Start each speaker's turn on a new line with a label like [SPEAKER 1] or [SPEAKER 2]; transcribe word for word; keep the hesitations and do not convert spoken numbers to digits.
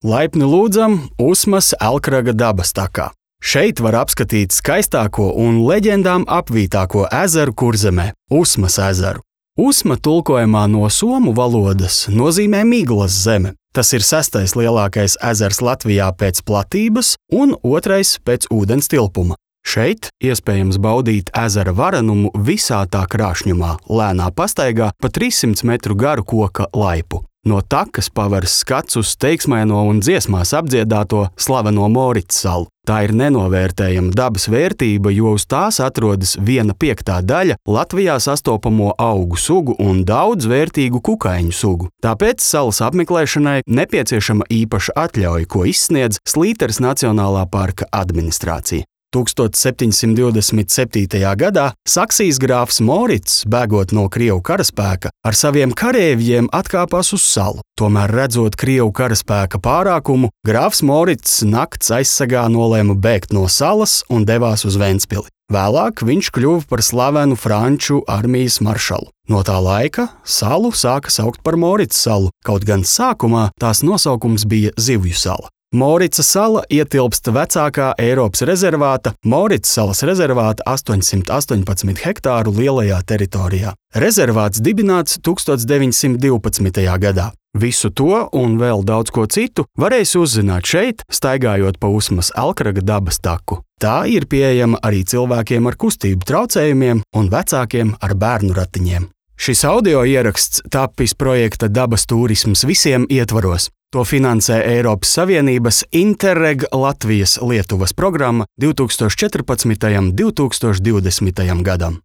[SPEAKER 1] Laipni lūdzam Usmas Elkraga dabas takā. Šeit var apskatīt skaistāko un leģendām apvītāko ezeru Kurzemē – Usmas ezeru. Usma tulkojumā no somu valodas nozīmē miglas zeme. Tas ir sestais lielākais ezers Latvijā pēc platības un otrais pēc ūdens tilpuma. Šeit iespējams baudīt ezera varenumu visā tā krāšņumā, lēnā pastaigā pa trīssimtu metru garu koka laipu. No takas paveras skats uz teiksmaino un dziesmās apdziedāto slaveno Morits salu. Tā ir nenovērtējama dabas vērtība, jo uz tās atrodas viena piektā daļa Latvijā sastopamo augu sugu un daudz vērtīgu kukaiņu sugu. Tāpēc salas apmeklēšanai nepieciešama īpaša atļauja, ko izsniedz Slīteres Nacionālā parka administrācija. tūkstoš septiņsimt divdesmit septītajā gadā Saksijas grāfs Morits, bēgot no Krievu karaspēka, ar saviem kareivjiem atkāpās uz salu. Tomēr redzot Krievu karaspēka pārākumu, grāfs Morits nakts aizsargā nolēma bēgt no salas un devās uz Ventspili. Vēlāk viņš kļuva par slavenu franču armijas maršalu. No tā laika salu sāka saukt par Morits salu, kaut gan sākumā tās nosaukums bija Zivju sala. Morica sala ietilpst vecākā Eiropas rezervāta Morits salas rezervāta astoņsimt astoņpadsmit hektāru lielajā teritorijā. Rezervāts dibināts tūkstoš deviņsimt divpadsmitajā gadā. Visu to un vēl daudz ko citu varēs uzzināt šeit, staigājot pa Usmas Elkraga dabas taku. Tā ir pieejama arī cilvēkiem ar kustību traucējumiem un vecākiem ar bērnu ratiņiem. Šis audio ieraksts tapis projekta Dabas turisms visiem ietvaros. To finansē Eiropas Savienības Interreg Latvijas Lietuvas programma divtūkstoš četrpadsmitajam līdz divtūkstoš divdesmitajam gadam.